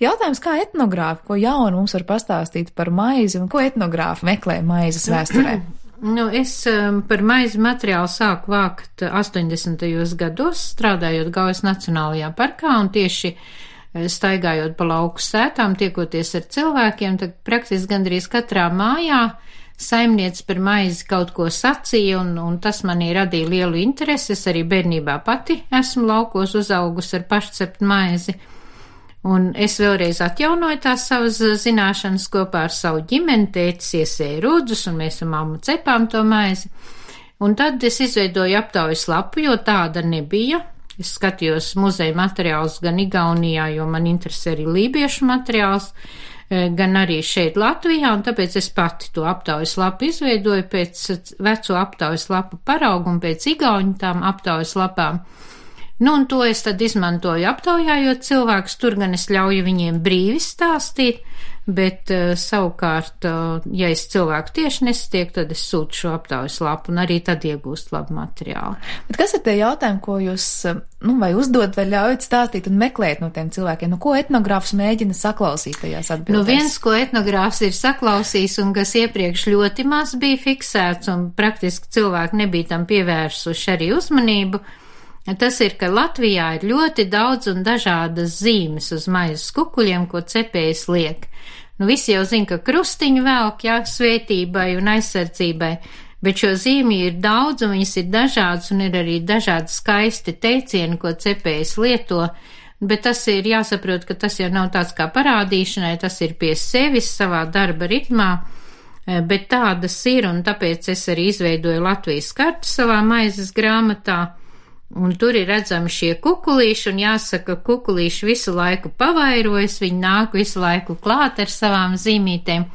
Jautājums, kā etnogrāfi, ko jaunu mums var pastāstīt par maizi un ko etnogrāfi meklē maizes vēsturē? Es par maizi materiālu sāku vākt 80. gados, strādājot Gaujas Nacionālajā parkā un tieši staigājot pa lauku sētām, tiekoties ar cilvēkiem, tad praktiski gandrīz katrā mājā saimniece par maizi kaut ko sacīja, un tas manī radīja lielu interesi. Es arī bērnībā pati esmu laukos uzaugusi ar pašcept maizi, un es vēlreiz atjaunoju tās savas zināšanas kopā ar savu ģimeni. Tētis iesēja rudzus, un mēs ar mammu cepām to maizi, un tad es izveidoju aptaujas lapu, jo tāda nebija. Es skatījos muzeja materiālus gan Igaunijā, jo man interesē arī lībiešu materiāls, gan arī šeit Latvijā, un tāpēc es pati to aptaujas lapu izveidoju pēc veco aptaujas lapu paraugu un pēc igauņu tām aptaujas lapām. Un to es tad izmantoju aptaujājot cilvēkus, tur gan es ļauju viņiem brīvi stāstīt, bet savukārt, ja es cilvēku tieši nesatieku, tad es sūtu šo aptaujas lapu un arī tad iegūst labu materiālu. Bet kas ir tie jautājumi, ko jūs, vai uzdod, vai ļaujat stāstīt un meklēt no tiem cilvēkiem? Ko etnogrāfs mēģina saklausīt tajās atbildēs? Viens, ko etnogrāfs ir saklausījis un kas iepriekš ļoti maz bija fiksēts un praktiski cilvēki nebija tam pievērsuši arī uzmanību, tas ir, ka Latvijā ir ļoti daudz un dažādas zīmes uz maizes kukuļiem, ko cepējs liek. Visi jau zina, ka krustiņu velk, svētībai un aizsardzībai, bet šo zīmju ir daudz un viņas ir dažādas un ir arī dažādi skaisti teicieni, ko cepējs lieto, bet tas ir jāsaprot, ka tas jau nav tāds kā parādīšanai, tas ir pie sevis savā darba ritmā, bet tādas ir, un tāpēc es arī izveidoju Latvijas kartu savā maizes grāmatā. Un tur ir redzami šie kukulīši, un jāsaka, kukulīši visu laiku pavairojas, viņi nāk visu laiku klāt ar savām zīmītēm,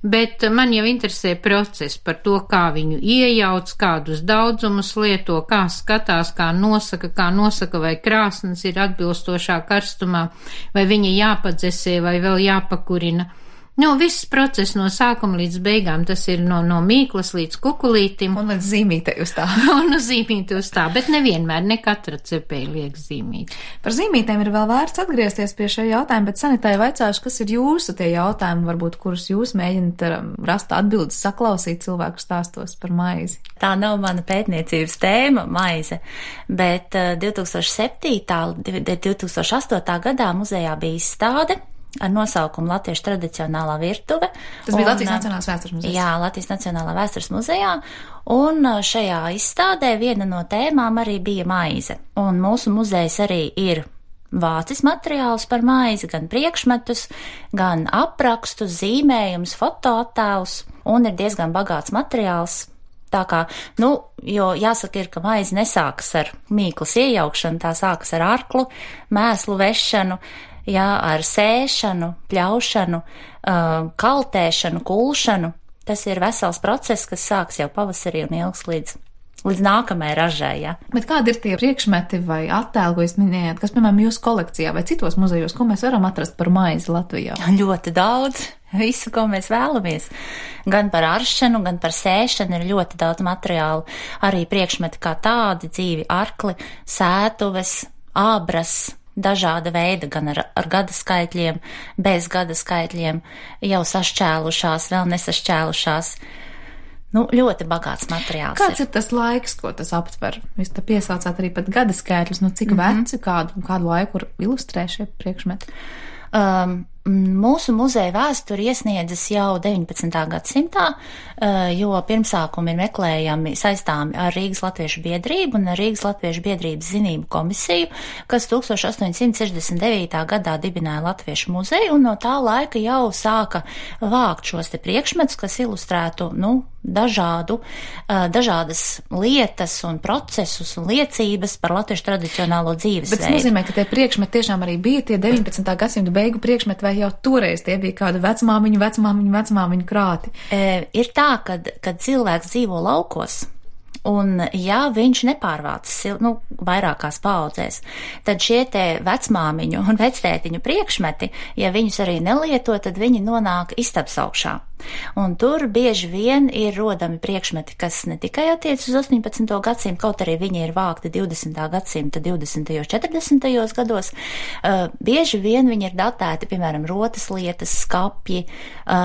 bet man jau interesē process par to, kā viņu iejauc, kādus daudzumus lieto, kā skatās, kā nosaka, vai krāsnes ir atbilstošā karstumā, vai viņa jāpadzesē, vai vēl jāpakurina. Viss process no sākuma līdz beigām, tas ir no mīklas līdz kukulītim. Un līdz zīmītei uz tā. Un uz zīmīti uz tā, bet nevienmēr, ne katra cepēja liek zīmīti. Par zīmītēm ir vēl vērts atgriezties pie šī jautājuma, bet Sanitai vaicāšu, kas ir jūsu tie jautājumi, varbūt, kurus jūs mēģināt rast atbildes, saklausīt cilvēku stāstos par maizi. Tā nav mana pētniecības tēma, maize, bet 2007. 2008. gadā muzejā bija izstāde ar nosaukumu Latviešu tradicionālā virtuve. Tas bija Latvijas Nacionālās vēstures muzejā. Jā, Latvijas Nacionālā vēstures muzejā, un šajā izstādē viena no tēmām arī bija maize. Un mūsu muzejs arī ir vācis materiālus par maizi, gan priekšmetus, gan aprakstus, zīmējumus, fotoattēlus, un ir diezgan bagāts materiāls. Tā kā, jo jāsaka ir, ka maize nesākas ar mīklas iejaukšanu, tā sākas ar arklu, mēslu vešanu, ar sēšanu, pļaušanu, kaltēšanu, kulšanu. Tas ir vesels process, kas sāks jau pavasarī un ilgs līdz nākamajai ražai, jā. Bet kādi ir tie priekšmeti vai attēli, ko jūs minējāt, kas, piemēram, jūsu kolekcijā vai citos muzejos, ko mēs varam atrast par maizi Latvijā? Ļoti daudz. Visu, ko mēs vēlamies. Gan par aršanu, gan par sēšanu ir ļoti daudz materiālu. Arī priekšmeti kā tādi, dzīvi arkli, sētuves, ābras, dažāda veida, gan ar gada skaitļiem, bez gada skaitļiem, jau sašķēlušās, vēl nesašķēlušās. Ļoti bagāts materiāls. Kāds ir tas laiks, ko tas aptver? Jūs te piesaucāt arī pat gada skaitļus, cik veci, kādu laiku ilustrē šie priekšmeti? Mūsu muzeja vēsturi iesniedzas jau 19. gadsimtā, jo pirmsākumi ir meklējami saistāmi ar Rīgas Latviešu biedrību un ar Rīgas Latviešu biedrības zinību komisiju, kas 1869. gadā dibināja Latviešu muzeju, un no tā laika jau sāka vākt šos te priekšmetus, kas ilustrētu, dažādas lietas un procesus un liecības par latviešu tradicionālo dzīvesveidu. Bet tas nozīmē, ka tie priekšmeti tiešām arī bija tie 19. gadsimta beigu priekšmeti, vai jau toreiz tie bija kādu vecmāmiņu krāti? Ir tā, kad cilvēks dzīvo laukos, Un, ja viņš nepārvācas vairākās paudzēs, tad šie te vecmāmiņu un vectētiņu priekšmeti, ja viņus arī nelieto, tad viņi nonāk istabas augšā. Un tur bieži vien ir rodami priekšmeti, kas ne tikai attiec uz 18. gadsimtu, kaut arī viņi ir vākti 20. gadsimta 20. 40. gados, bieži vien viņi ir datēti, piemēram, rotas lietas, skapji,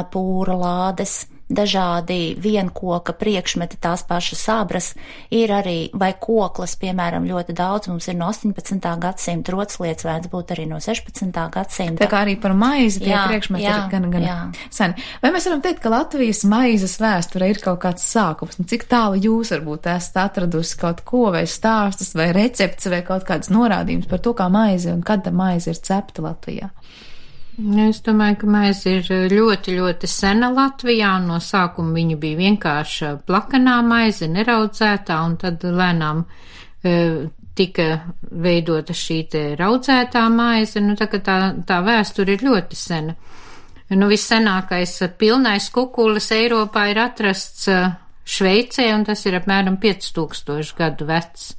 pūra lādes, dažādi vienkoka priekšmeti, tās pašas sabras, ir arī, vai koklas, piemēram, ļoti daudz mums ir no 18. gadsimta, rotslietas vērts būt arī no 16. gadsimta. Tā kā arī par maizi tie priekšmeti ir gan seni. Vai mēs varam teikt, ka Latvijas maizes vēsture ir kaut kāds sākums? Cik tālu jūs varbūt esat atradusi kaut ko, vai stāstus, vai recepts, vai kaut kādas norādījumus par to, kā maize un kad maize ir cepta Latvijā? Es domāju, ka maize ir ļoti, ļoti sena Latvijā, un no sākuma viņa bija vienkārši plakanā maize, neraudzētā, un tad lēnām tika veidota šī te raudzētā maize, tā vēsture ir ļoti sena. Vissenākais pilnais kukulis Eiropā ir atrasts Šveicē, un tas ir apmēram 5000 gadu vecs.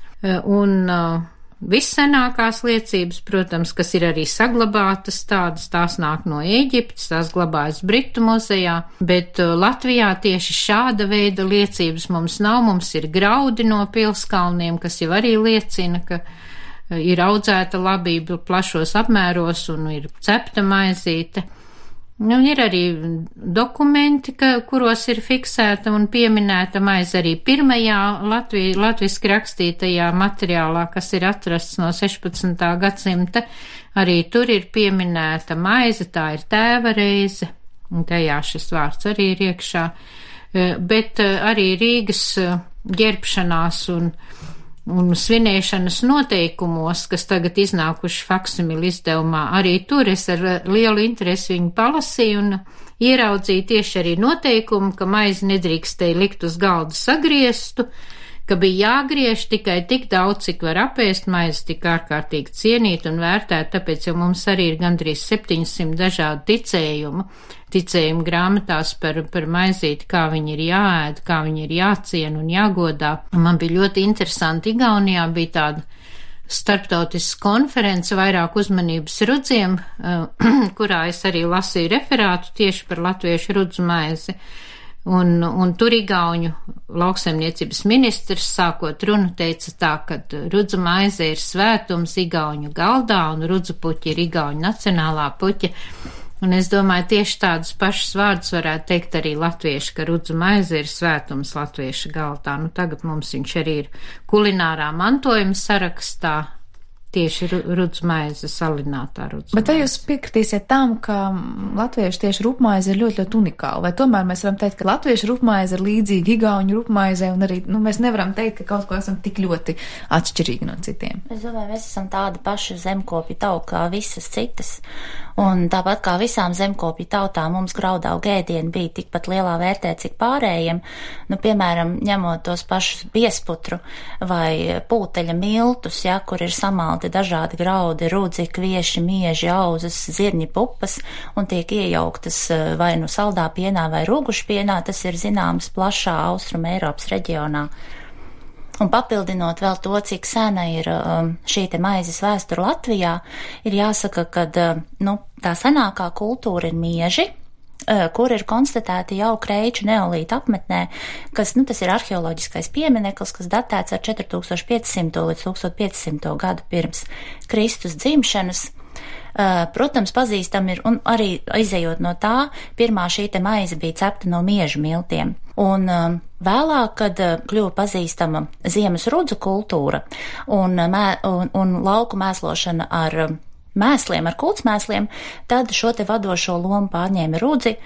Vissenākās liecības, protams, kas ir arī saglabātas tās nāk no Ēģiptes, tās glabājas Britu muzejā, bet Latvijā tieši šāda veida liecības mums nav. Mums ir graudi no pilskalniem, kas jau arī liecina, ka ir audzēta labība plašos apmēros un ir cepta maizīte. Ir arī dokumenti, kuros ir fiksēta un pieminēta maize arī pirmajā latviski rakstītajā materiālā, kas ir atrasts no 16. gadsimta. Arī tur ir pieminēta maize, tā ir tēva reize, un tajā šis vārds arī ir iekšā. Bet arī Rīgas ģērbšanās un svinēšanas noteikumos, kas tagad iznākuši faksimili izdevumā, arī tur es ar lielu interesi viņu palasīju un ieraudzīju tieši arī noteikumu, ka maizi nedrīkstēja likt uz galda sagrieztu, ka bija jāgriež tikai tik daudz, cik var apēst. Maize tik ārkārtīgi cienīt un vērtēt, tāpēc jau mums arī ir gandrīz 700 dažādu ticējumu grāmatās par maizīti, kā viņi ir jāēd, kā viņi ir jāciena un jāgodā. Man bija ļoti interesanti, Igaunijā bija tāda starptautiska konference vairāk uzmanības rudziem, kurā es arī lasīju referātu tieši par latviešu rudzu maizi. Un tur igauņu lauksaimniecības ministrs sākot runu teica tā, ka rudzu maize ir svētums igauņu galdā un rudzu puķi ir igauņu nacionālā puķa. Un es domāju, tieši tādus pašus vārdus varētu teikt arī latvieši, ka rudzu maize ir svētums latvieša galdā. Tagad mums viņš arī ir kulinārā mantojuma sarakstā. Tieši rudzu maize, salinātā rudzu maize. Bet vai jūs piekritīsiet tam, ka latviešu tieši rupmaize ir ļoti, ļoti unikāla? Vai tomēr mēs varam teikt, ka latviešu rupmaize ir līdzīga igauņu rupmaizē un arī, mēs nevaram teikt, ka kaut ko esam tik ļoti atšķirīgi no citiem? Es domāju, mēs esam tāda paša zemkopja tauta kā visas citas. Un tāpat kā visām zemkopju tautām mums graudaugu ēdieni bija tikpat lielā vērtē, cik pārējiem. Piemēram, ņemot tos pašus biesputru vai pūteļa miltus, kur ir samalti dažādi graudi, rudzi, kvieši, mieži, auzas, zirņi, pupas un tiek iejauktas vai nu saldā pienā vai rūgušpienā, tas ir zināms plašā Austrum Eiropas reģionā. Un papildinot vēl to, cik sena ir šī te maizes vēsture Latvijā, ir jāsaka, ka tā senākā kultūra ir mieži, kur ir konstatēti jau Kreiču neolīta apmetnē, kas, tas ir arheoloģiskais piemineklis, kas datēts ar 4500 līdz 1500 gadu pirms Kristus dzimšanas. Protams, pazīstam ir, un arī izejot no tā, pirmā šī te maize bija cepta no miežu miltiem. Un vēlāk, kad kļuva pazīstama ziemas rudzu kultūra un lauku mēslošana ar mēsliem, ar kultsmēsliem, tad šo te vadošo lomu pārņēma rudzi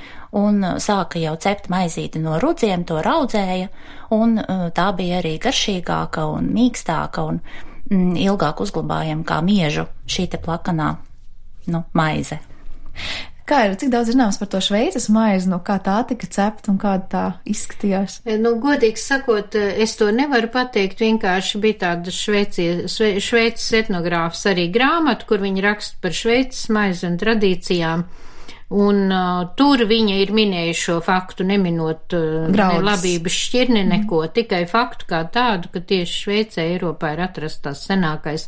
un sāka jau cept maizīti no rudziem, to raudzēja, un tā bija arī garšīgāka un mīkstāka un ilgāk uzglabājama kā miežu šī te plakanā maize. Kā ir, cik daudz zināms par to Šveices maizi, kā tā tika cepta un kāda tā izskatījās? Godīgi sakot, es to nevaru pateikt, vienkārši bija tāda Šveices etnogrāfs arī grāmata, kur viņi raksta par Šveices maizi un tradīcijām. Un tur viņa ir minējuši šo faktu, neminot ne labības šķirni, neko, tikai faktu kā tādu, ka tieši Šveicē, Eiropā ir atrasts tās senākais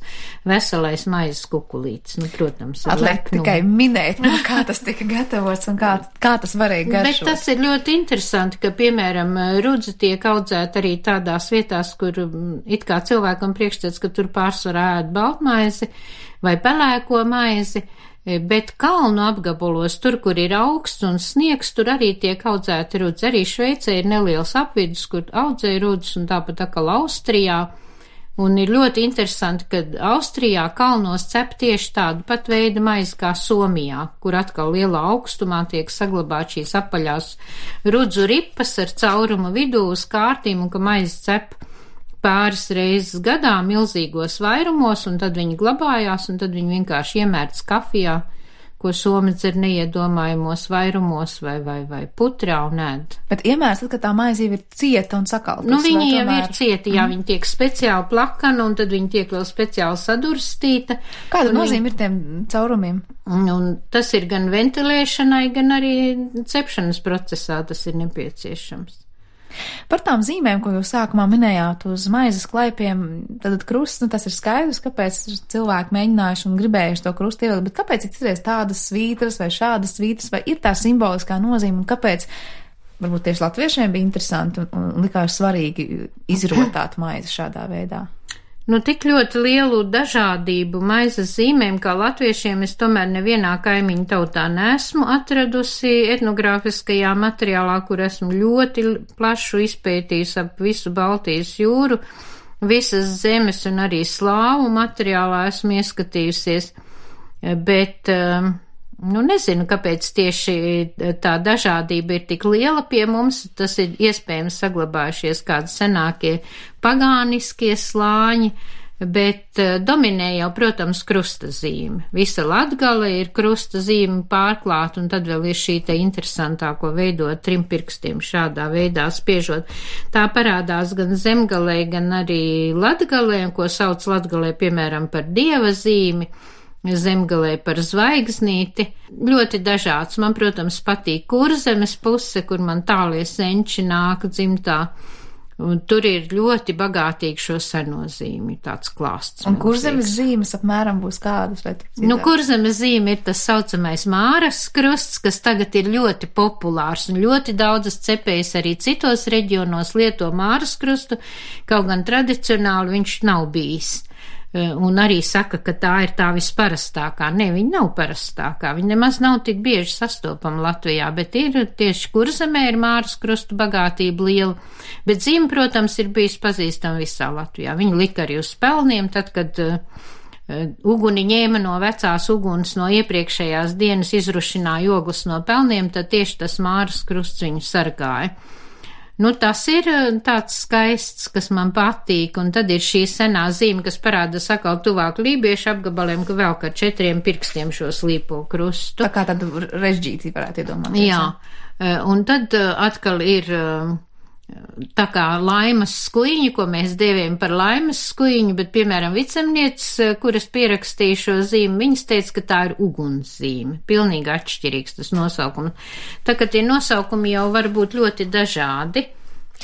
veselais maizes kukulītis. Nu, protams, atliek tikai minēt, kā tas tika gatavots un kā tas varēja garšot. Bet tas ir ļoti interesanti, ka, piemēram, rudze tiek audzēta arī tādās vietās, kur it kā cilvēkam priekšstats, ka tur pārsvarā ēd baltmaizi vai pelēko maizi, bet kalnu apgabalos, tur, kur ir augsts un sniegs, tur arī tiek audzēti rudzi. Arī Šveicē ir neliels apvidus, kur audzē rudzes, un tāpat atkal Austrijā. Un ir ļoti interesanti, ka Austrijā kalnos cep tieši tādu pat veidu maizi kā Somijā, kur atkal lielā augstumā tiek saglabāt šīs apaļās rudzu ripas ar caurumu vidū uz kārtīm, un ka maizi cep pāris reizes gadā milzīgos vairumos, un tad viņi glabājās, un tad viņi vienkārši iemērts kafijā, ko somi dzer neiedomājumos vairumos vai putrā un ēd. Bet iemērts tad, ka tā maize jau ir cieta un sakaltas? Nu, viņi jau ir cieti, jā, viņi tiek speciāli plakana, un tad viņi tiek vēl speciāli sadurstīta. Kāda nozīme ir tiem caurumiem? Un tas ir gan ventilēšanai, gan arī cepšanas procesā tas ir nepieciešams. Par tām zīmēm, ko jūs sākumā minējāt uz maizes klaipiem, tad krusts, nu tas ir skaidrs, kāpēc cilvēki mēģinājuši un gribējuši to krustu ievilkt, bet kāpēc ir citreiz tādas svītras vai šādas svītras, vai ir tā simboliskā nozīme, un kāpēc varbūt tieši latviešiem bija interesanti un likās svarīgi izrotāt maizi šādā veidā? Nu, tik ļoti lielu dažādību maizes zīmēm kā latviešiem es tomēr nevienā kaimiņu tautā neesmu atradusi etnogrāfiskajā materiālā, kur esmu ļoti plašu izpētījusi ap visu Baltijas jūru, visas zemes un arī slāvu materiālā esmu ieskatījusies, bet nu, nezinu, kāpēc tieši tā dažādība ir tik liela pie mums. Tas ir iespējams saglabājušies kādi senākie pagāniskie slāņi, bet dominē jau, protams, krusta zīme. Visa Latgale ir krusta zīme pārklāta, un tad vēl ir šī te interesantāko veidot trim pirkstiem šādā veidā spiežot. Tā parādās gan Zemgalē, gan arī Latgalē, ko sauc Latgalē, piemēram, par dieva zīmi, Zemgalē par zvaigznīti. Ļoti dažāds. Man, protams, patīk Kurzemes puse, kur man tālie senči nāk dzimtā. Un tur ir ļoti bagātīgi šo seno zīmi, tāds klāsts. Un Kurzemes zīmes apmēram būs kādas? Nu, Kurzemes zīme ir tas saucamais Māras krusts, kas tagad ir ļoti populārs, un ļoti daudzas cepējas arī citos reģionos lieto Māras krustu, kaut gan tradicionāli viņš nav bijis. Un arī saka, ka tā ir tā visparastākā. Nē, viņa nav parastākā, viņa nemaz nav tik bieži sastopama Latvijā, bet ir tieši Kurzemē ir Māras krustu bagātība liela, bet zīme, protams, ir bijis pazīstama visā Latvijā. Viņa lika arī uz pelniem, tad, kad uguni ņēma no vecās uguns no iepriekšējās dienas, izrušināja ogles no pelniem, tad tieši tas Māras krusts viņu sargāja. Nu, tas ir tāds skaists, kas man patīk, un tad ir šī senā zīme, kas parāda sakal tuvāk lībiešu apgabaliem, ka vēl kā 4 pirkstiem šo slīpo krustu. Tā kā tādu režģīti varētu iedomāties. Jā, un tad atkal ir tā kā laimas skuiņi, ko mēs dēvējam par laimas skuiņu, bet, piemēram, vicemnieces, kuras pierakstīja šo zīmi, viņas teica, ka tā ir ugunszīme. Pilnīgi atšķirīgs tas nosaukums. Tā kā tie nosaukumi jau var būt ļoti dažādi.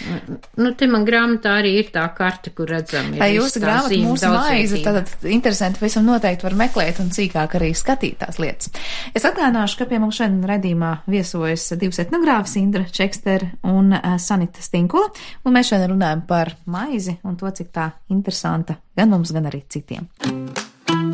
Nu, te man grāmatā arī ir tā karte, kur redzam. Tā jūsu grāmata mūsu maize, tātad interesanti, visam noteikti var meklēt un cīkāk arī skatīt tās lietas. Es atgādināšu, ka pie mums šodien raidījumā viesojas 2 etnogrāfis, Indra Čekster un Sanita Stinkula, un mēs šodien runājam par maizi un to, cik tā interesanta gan mums, gan arī citiem.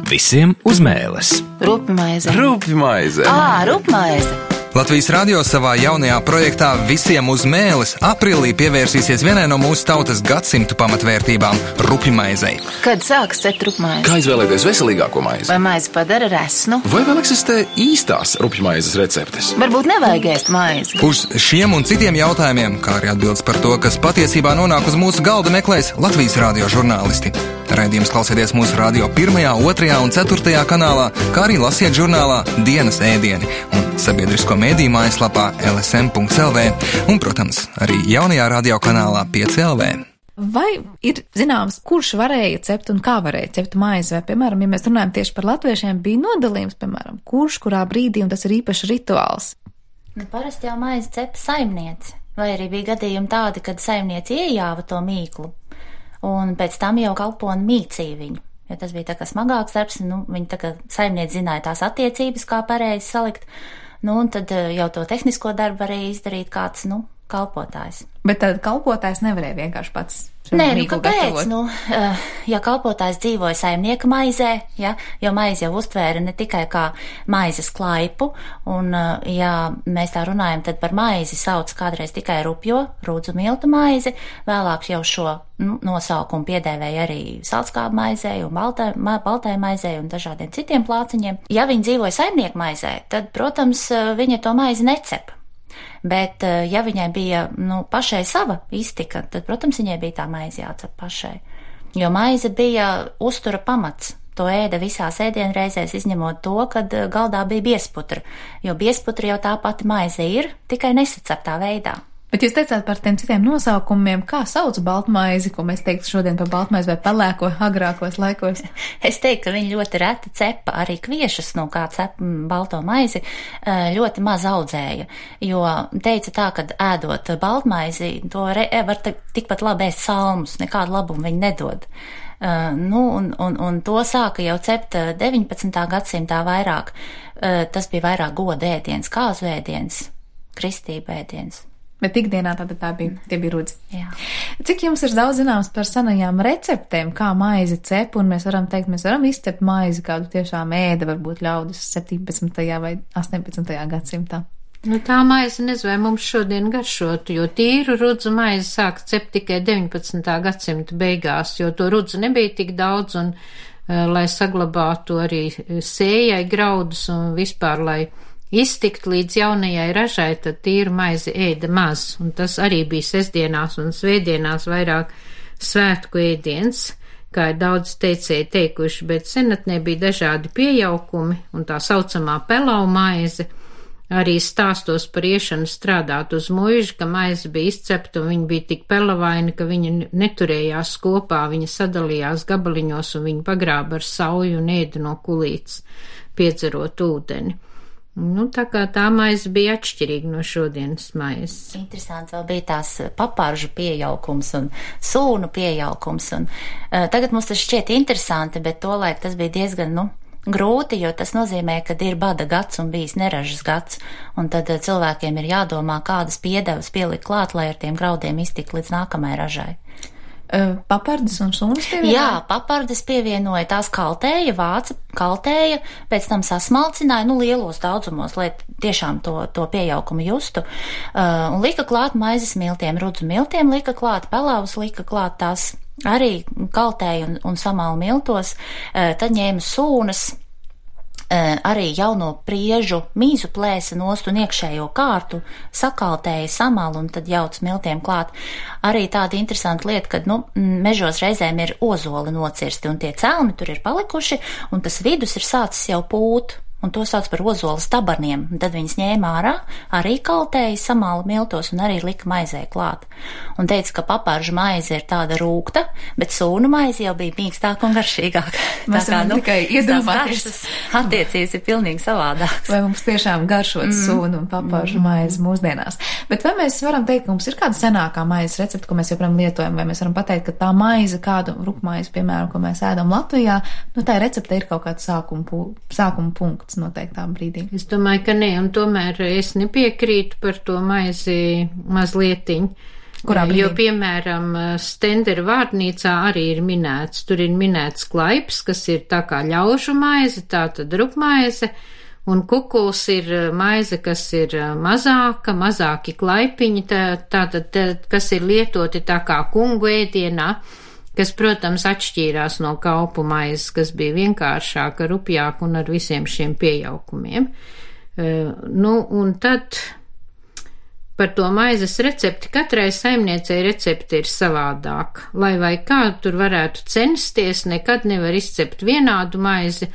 Visiem uz mēles. Rupmaize. Rupmaize. Rupmaize. Latvijas radio savā jaunajā projektā Visiem uz mēles aprīlī pievērsīsies vienai no mūsu tautas gadsimtu pamatvērtībām – rupjmaizei. Kad sāks cept rupmaizi? Kā izvēlēties veselīgāko maizi? Vai maizi padara resnu? Vai vēl eksistē īstās rupjmaizes receptes? Varbūt nevajag ēst maizi? Uz šiem un citiem jautājumiem, kā arī atbildes par to, kas patiesībā nonāk uz mūsu galda, meklēs Latvijas radio žurnālisti. Raidījums klausieties mūsu radio 1., 2. un 4. kanālā, kā arī lasiet žurnālā Dienas ēdieni un sabiedrisko mediju mājaslapā lsm.lv un, protams, arī jaunajā radio kanālā 5LV. Vai ir zināms, kurš varēja cept un kā varēja cept maizi? Vai, piemēram, ja mēs runājam tieši par latviešiem, bija nodalījums, piemēram, kurš, kurā brīdī, un tas ir īpašs rituāls? Parasti jau maizi cepa saimniece, vai arī bija gadījumi tādi, kad saimniece iejāva to mīklu, un pēc tam jau kalponi mīcīja viņu. Jo tas bija tā kā smagāks darbs, viņi tā kā saimniece zināja tās attiecības, kā pareizi salikt, un tad jau to tehnisko darbu varēja izdarīt kāds, kalpotājs. Bet tad kalpotājs nevarēja vienkārši pats. Nē, kāpēc? Ja kalpotājs dzīvoja saimnieka maizē, jo maizi jau uztvēra ne tikai kā maizes klaipu, un, ja mēs tā runājam, tad par maizi sauc kādreiz tikai rupjo, rūdzu miltu maizi, vēlāk jau šo nosaukumu piedēvēja arī saltskābu maizē un baltai maizē un dažādiem citiem plāciņiem. Ja viņi dzīvoja saimnieka maizē, tad, protams, viņa to maizi necep. Bet, ja viņai bija, pašai sava iztika, tad, protams, viņai bija tā maize jācep pašai. Jo maize bija uztura pamats. To ēda visās ēdienreizēs, izņemot to, kad galdā bija biesputra. Jo biesputra jau tā pati maize ir, tikai nesaceptā veidā. Bet jūs teicāt par tiem citiem nosaukumiem, kā sauc baltmaizi, ko mēs teiktu šodien par baltmaizi vai pelēko agrākos laikos? Es teiktu, ka viņi ļoti reti cepa arī kviešus, kā cep balto maizi, ļoti maz audzēja, jo teica tā, ka ēdot baltmaizi, to var tikpat labi ēst salmus, nekādu labumu viņi nedod. Un to sāka jau cept 19. gadsimtā vairāk. Tas bija vairāk goda ēdiens, kāzu ēdiens, kristība ēdiens. Bet ikdienā tie bija rudzi. Jā. Cik jums ir daudz zināms par senajām receptēm, kā maizi cep, un mēs varam izcept maizi, kādu tiešām ēda varbūt ļaudis 17. vai 18. gadsimtā? Tā maize nezinu, vai mums šodien garšot, jo tīru rudzu maizi sāk cept tikai 19. gadsimta beigās, jo to rudzu nebija tik daudz, un lai saglabātu arī sējai graudus un vispār, lai iztikt līdz jaunajai ražai, tad tīru maizi ēda maz, un tas arī bija sestdienās un svētdienās vairāk svētku ēdiens, kā ir daudz teicēji teikuši, bet senatnē bija dažādi piejaukumi, un tā saucamā pelau maize, arī stāstos par iešanu strādāt uz muižu, ka maize bija izcepta, un viņa bija tik pelavaina, ka viņa neturējās kopā, viņa sadalījās gabaliņos, un viņa pagrāba ar sauju un ēda no kulītes, piedzerot ūdeni. Tā kā tā maize bija atšķirīga no šodienas maizes. Interesants vēl bija tās paparžu piejaukums un sūnu piejaukums, un tagad mums tas šķiet interesanti, bet tolaik tas bija diezgan, grūti, jo tas nozīmē, ka ir bada gads un bijis neražas gads, un tad cilvēkiem ir jādomā, kādas piedevas pielikt klāt, lai ar tiem graudiem iztikt līdz nākamajai ražai. Papardes un sunas pievienoja? Jā, papardes pievienoja, tās kaltēja, vāca kaltēja, pēc tam sasmalcināja, lielos daudzumos, lai tiešām to pieaukumu justu, un lika klāt maizes miltiem, rudzu miltiem lika klāt, pelavas lika klāt, tās arī kaltēja un samala miltos, tad ņēma sūnas, arī jauno priežu mīzu plēsa nost un iekšējo kārtu, sakaltēja samalu un tad jauc miltiem klāt. Arī tāda interesanta lieta, kad, mežos reizēm ir ozoli nocirsti un tie celmi tur ir palikuši un tas vidus ir sācis jau pūt. Un to sauc par ozolas tabaniem. Tad viņas ņēma ārā, arī kaltēja, samāla miltos un arī lika maizē klāt. Un teica, ka paparžu maize ir tāda rūgta, bet sūnu maize jau bija mīkstāka un garšīgāka. Mēs varam tikai iedomāties. Attiecības ir pilnīgi savādākas. Vai mums tiešām garšot sūnu un paparžu maizi mūsdienās. Bet vai mēs varam teikt, ka mums ir kāda senākā maizes recepte, ko mēs joprojām lietojam, vai mēs varam pateikt, ka tā maize, kādu rupmaizi, piemēram, ko mēs ēdam Latvijā, tā recepte ir kaut kāds sākuma punkts noteiktā brīdī. Es domāju, ka ne, un tomēr es nepiekrītu par to maizi mazlietiņu. Kurā brīdī? Jo, piemēram, Stendera vārnīcā arī ir minēts, tur ir minēts klaips, kas ir tā kā ļaužu maize, tā tad rupmaize, un kukuls ir maize, kas ir mazāki klaipiņi, tātad, kas ir lietoti tā kā kungu ēdienā, kas, protams, atšķīrās no kaupu maizes, kas bija vienkāršāka, rupjāka un ar visiem šiem piejaukumiem. Un tad par to maizes recepti, katrai saimniecei recepti ir savādāk. Lai vai kā tur varētu censties, nekad nevar izcept vienādu maizi,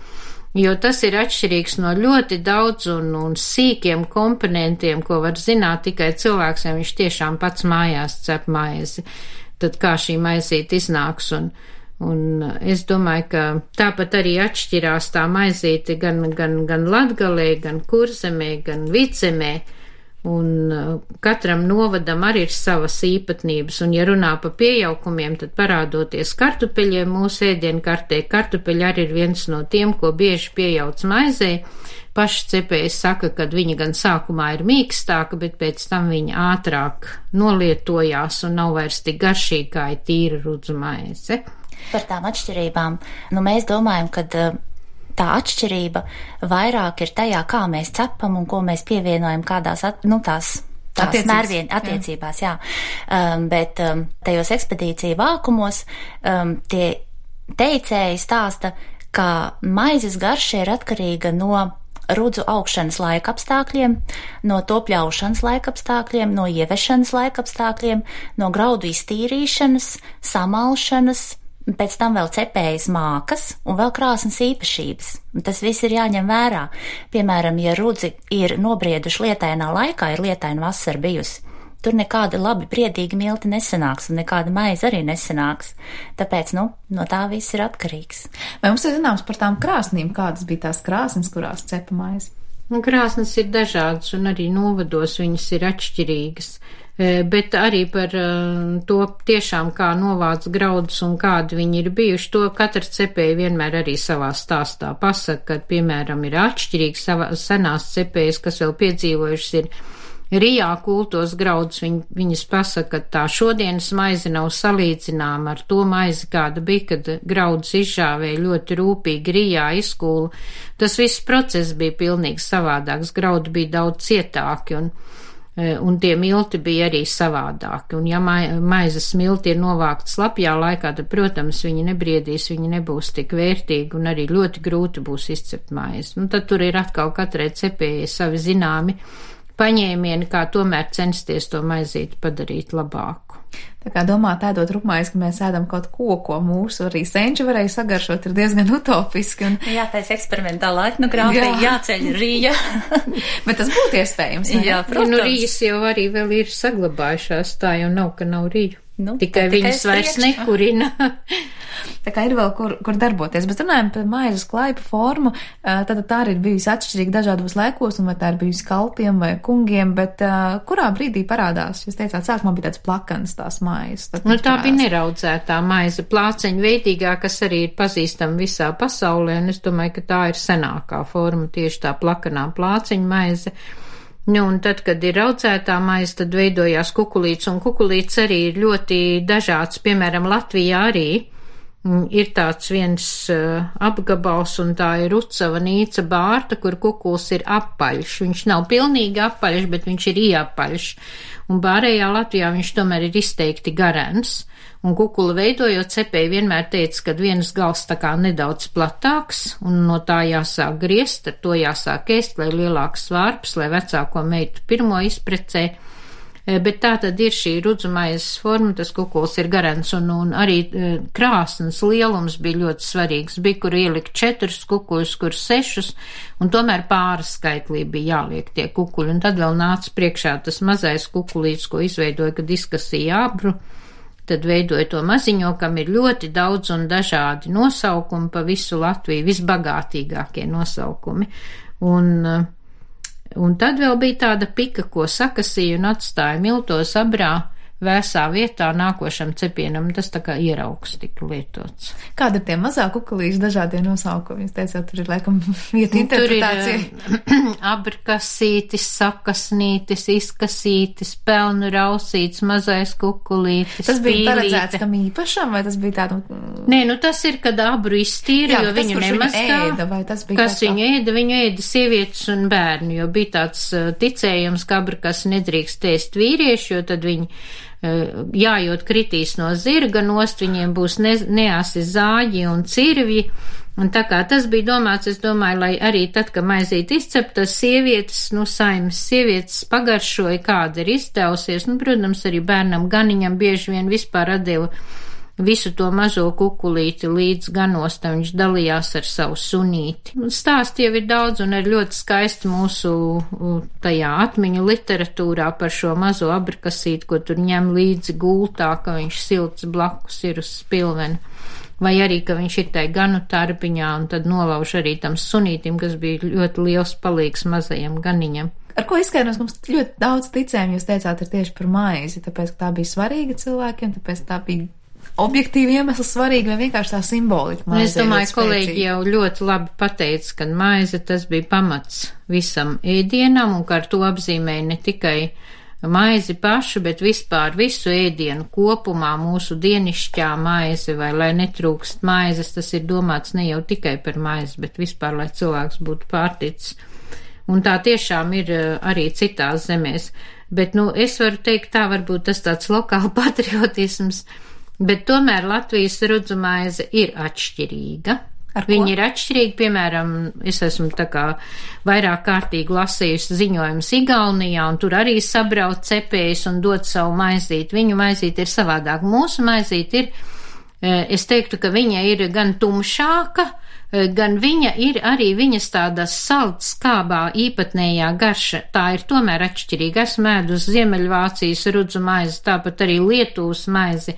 jo tas ir atšķirīgs no ļoti daudz un sīkiem komponentiem, ko var zināt tikai cilvēks, ja viņš tiešām pats mājās cep maizi. tad kā šī maizīte iznāks, un es domāju, ka tāpat arī atšķirās tā maizīte gan Latgalē, gan Kurzemē, gan Vidzemē, un katram novadam arī ir savas īpatnības, un ja runā pa pieaukumiem, tad parādoties kartupeļiem mūsu ēdienkartē, kartupeļi arī ir viens no tiem, ko bieži piejauc maizē. Paši cepēji saka, ka viņa gan sākumā ir mīkstāka, bet pēc tam viņa ātrāk nolietojās un nav vairs tik garšīga, kā ir tīra rudzu maize. Par tām atšķirībām, mēs domājam, ka tā atšķirība vairāk ir tajā, kā mēs cepam un ko mēs pievienojam kādās, tās mērvienu attiecībās, jā. Bet tajos ekspedīciju vākumos tie teicēji stāsta, ka maizes garša ir atkarīga no rudzu augšanas laikapstākļiem, no to pļaušanas laikapstākļiem, no ievešanas laikapstākļiem, no graudu iztīrīšanas, samalšanas, pēc tam vēl cepējas mākas un vēl krāsnes īpašības. Tas viss ir jāņem vērā. Piemēram, ja rudzi ir nobrieduši lietainā laikā, ir lietaina vasara bijusi, tur nekāda labi priedīga milti nesanāks un nekāda maize arī nesanāks. Tāpēc, no tā viss ir atkarīgs. Vai mums ir zināms par tām krāsnīm, kādas bija tās krāsnes, kurās cepa maize? Krāsnes ir dažādas un arī novados viņas ir atšķirīgas. Bet arī par to tiešām kā novāc graudus un kādi viņi ir bijuši, to katra cepēja vienmēr arī savā stāstā pasaka, ka, piemēram, ir atšķirīgs senās cepējas, kas vēl piedzīvojušas ir Rijā kultos graudus, viņas pasaka, ka tā šodienas maize nav salīdzināma ar to maizi, kāda bija, kad graudus izžāvēja ļoti rūpīgi Rijā izkūla. Tas viss process bija pilnīgi savādāks, graudi bija daudz cietāki un tie milti bija arī savādāki. Un ja maizes milti ir novākti slapjā laikā, tad, protams, viņi nebriedīs, viņi nebūs tik vērtīgi un arī ļoti grūti būs izcept maizi. Tad tur ir atkal katrai cepējai savi zināmi paņēmieni, kā tomēr censties to maizīti padarīt labāku. Tā kā domāt, ēdot rupmaizi, ka mēs ēdam kaut ko mūsu arī senči varēja sagaršot, ir diezgan utopiski. Jā, tais eksperimentālā etnogrāfija, jāceļ Rija. Bet tas būtu iespējams, ne? Jā, protams. Rijas jau arī vēl ir saglabājušās, tā jau nav, ka nav Riju. Tikai viņas vairs nekurina. Tā kā ir vēl kur darboties, bet runājam par maizes klaipu formu, tad tā arī ir bijusi atšķirīga dažādos laikos, un vai tā ir bijusi kalpiem vai kungiem, bet kurā brīdī parādās? Jūs teicāt, sākumā bija tāds plakanas tās maizes. Tā bija neraudzētā maize, plāceņa veidīgā, kas arī ir pazīstama visā pasaulē, un es domāju, ka tā ir senākā forma, tieši tā plakanā plāceņa maize. Un tad, kad ir raudzētā maize, tad veidojās kukulīts, un kukulīts arī ir ļoti dažāds, piemēram, Latvijā arī ir tāds viens apgabals, un tā ir Rucava Nīca Bārta, kur kukuls ir apaļš. Viņš nav pilnīgi apaļš, bet viņš ir ieapaļš. Un pārējā Latvijā viņš tomēr ir izteikti garens. Un kukulu veidojot, cepēji vienmēr teica, ka viens gals tā kā nedaudz platāks, un no tā jāsāk griezt, ar to jāsāk ēst, lai lielāks svārps, lai vecāko meitu pirmo izprecē. Bet tā tad ir šī rudzumaizes forma, tas kukuls ir garens, un arī krāsnes lielums bija ļoti svarīgs. Bija, kur ielikt 4 kukuļus, kur 6, un tomēr pāris skaitlī bija jāliek tie kukuļi. Un tad vēl nāca priekšā tas mazais kukulīts, ko izveidoja, kad izkasīja abru. Tad veidoja to maziņo, kam ir ļoti daudz un dažādi nosaukumi pa visu Latviju, visbagātīgākie nosaukumi. Un tad vēl bija tāda pika, ko sakasīja un atstāja miltos abrā vēsā vietā nākošam cepienam, tas tā kā ieraugs tika lietots. Kāda ir tie mazā kukulīši dažādie nosaukumi? Jūs teicāt, tur ir laikam vieta interpretācija. Tur ir abrkasītis, sakasnītis, izkasītis, pelnu rausītis, mazais kukulītis, tas bija paredzēts kam īpašam, vai tas bija tādu? Nē, tas ir, kad abru iztīra, jo viņu nemaskā. Kas viņu ēda? Viņu ēda sievietes un bērni, jo bija tāds ticējums, ka abrkas nedrīkst ēst vīrieši, jo tad viņi jājot kritīs no zirga nost, viņiem būs neasi zāģi un cirvji, un tā kā tas bija domāts, es domāju, lai arī tad, kad maizīt izcepta, sievietes, saimas sievietes pagaršoja, kāda ir izdevusies, protams, arī bērnam ganiņam bieži vien vispār atdeva visu to mazo kukulīti līdz ganostam viņš dalījās ar savu sunīti. Stāsti jau ir daudz un ir ļoti skaisti mūsu tajā atmiņu literatūrā par šo mazo abrakasīti, ko tur ņem līdzi gultā, ka viņš silts blakus ir uz spilvena. Vai arī, ka viņš ir tai ganu tarbiņā un tad nolauž arī tam sunītim, kas bija ļoti liels palīgs mazajam ganiņam. Ar ko izskaidros, ka mums ļoti daudz ticējumu, jūs teicāt, ir tieši par maizi, tāpēc, ka tā bija svarīga cilvēkiem, tāpēc tā bija objektīvi iemesli svarīga vai vienkārši tā simbolika. Es domāju, kolēģi jau ļoti labi pateica, ka maize tas bija pamats visam ēdienam un ka ar to apzīmēja ne tikai maizi pašu, bet vispār visu ēdienu kopumā mūsu dienišķā maize vai lai netrūkst maizes, tas ir domāts ne jau tikai par maizi, bet vispār, lai cilvēks būtu pārticis. Un tā tiešām ir arī citās zemēs. Bet, es varu teikt, tā varbūt tas tāds lokāla patriotisms, bet tomēr Latvijas rudzumaize ir atšķirīga. Viņi ir atšķirīgi, piemēram, es esmu tā kā vairāk kārtīgi lasījusi ziņojumus Igaunijā, un tur arī sabrauc cepējus un dod savu maizīti. Viņu maizīti ir savādāk. Mūsu maizīti ir, es teiktu, ka viņa ir gan tumšāka, gan viņa ir arī viņas tādas salds skābā īpatnējā garša. Tā ir tomēr atšķirīga. Esmu ēdus Ziemeļvācijas rudzu maizi, tāpat arī Lietuvas maizi.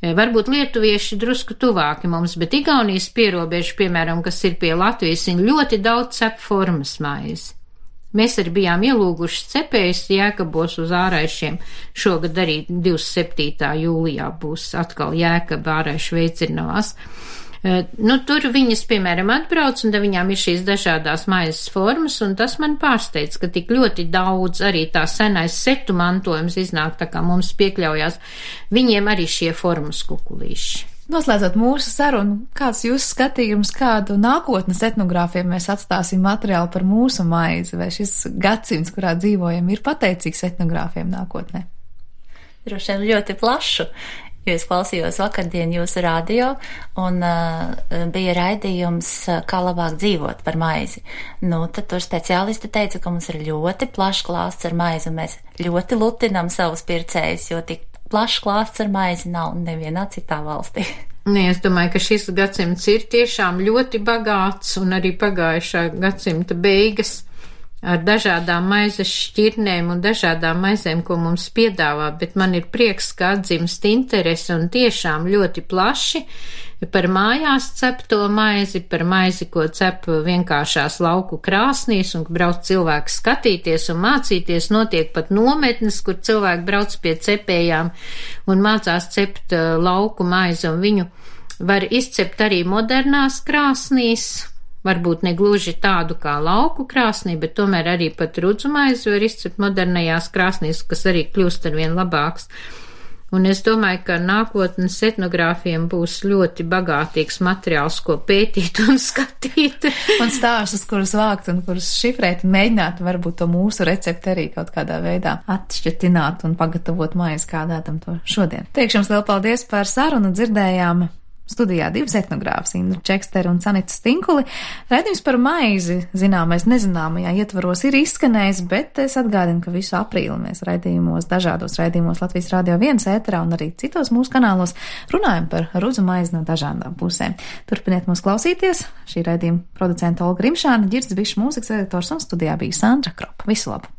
Varbūt lietuvieši drusku tuvāki mums, bet Igaunijas pierobežu, piemēram, kas ir pie Latvijas, viņi ļoti daudz cep formas maizi. Mēs arī bijām ielūguši cepējus Jēkabos uz āraišiem. Šogad arī 27. jūlijā būs atkal Jēkaba āraišu veicirnavās. Tur viņas, piemēram, atbrauc, un viņām ir šīs dažādās maizes formas, un tas man pārsteidz, ka tik ļoti daudz arī tā senais setu mantojums iznāk, tā kā mums piekļaujās, viņiem arī šie formas kukulīši. Noslēdzot mūsu sarunu, kāds jūsu skatījums, kādu nākotnes etnogrāfiem mēs atstāsim materiālu par mūsu maizi, vai šis gadsimts, kurā dzīvojam, ir pateicīgs etnogrāfiem nākotnē? Droši vien ļoti plašu. Jo es klausījos vakardien jūsu radio un bija raidījums, kā labāk dzīvot par maizi. Tad tur speciālisti teica, ka mums ir ļoti plašs klāsts ar maizi un mēs ļoti lutinam savus pircējus, jo tik plašs klāsts ar maizi nav nevienā citā valstī. Es domāju, ka šis gadsimts ir tiešām ļoti bagāts un arī pagājušā gadsimta beigas ar dažādām maizes šķirnēm un dažādām maizēm, ko mums piedāvā, bet man ir prieks, ka atdzimst interese un tiešām ļoti plaši par mājās cepto maizi, par maizi, ko cep vienkāršās lauku krāsnīs un brauc cilvēki skatīties un mācīties, notiek pat nometnes, kur cilvēki brauc pie cepējām un mācās cept lauku maizi, un viņu var izcept arī modernās krāsnīs, varbūt ne gluži tādu kā lauku krāsnī, bet tomēr arī pat rudzumaizi var izcept modernajās krāsnīs, kas arī kļūst arvien labāks. Un es domāju, ka nākotnes etnogrāfiem būs ļoti bagātīgs materiāls, ko pētīt un skatīt. Un stāstus, kurus vākt un kurus šifrēt un mēģināt varbūt to mūsu recepti arī kaut kādā veidā atšķirtināt un pagatavot maizi, kā ēdam to šodien. Teikšu jums lielu paldies par sarunu, dzirdējām studijā divas etnogrāfas, Indru Čeksteru un Sanitu Stinkuli. Raidījums par maizi zināmais nezināmajā ietvaros ir izskanējis, bet es atgādinu, ka visu aprīli mēs dažādos raidījumos Latvijas Radio 1 ēterā un arī citos mūsu kanālos runājam par rudzu maizi no dažādām pusēm. Turpiniet mūs klausīties. Šī raidījuma producenta Olga Rimšāne, Ģirds Bišs, mūzikas redaktors, un studijā bija Sandra Kropa. Visu labu!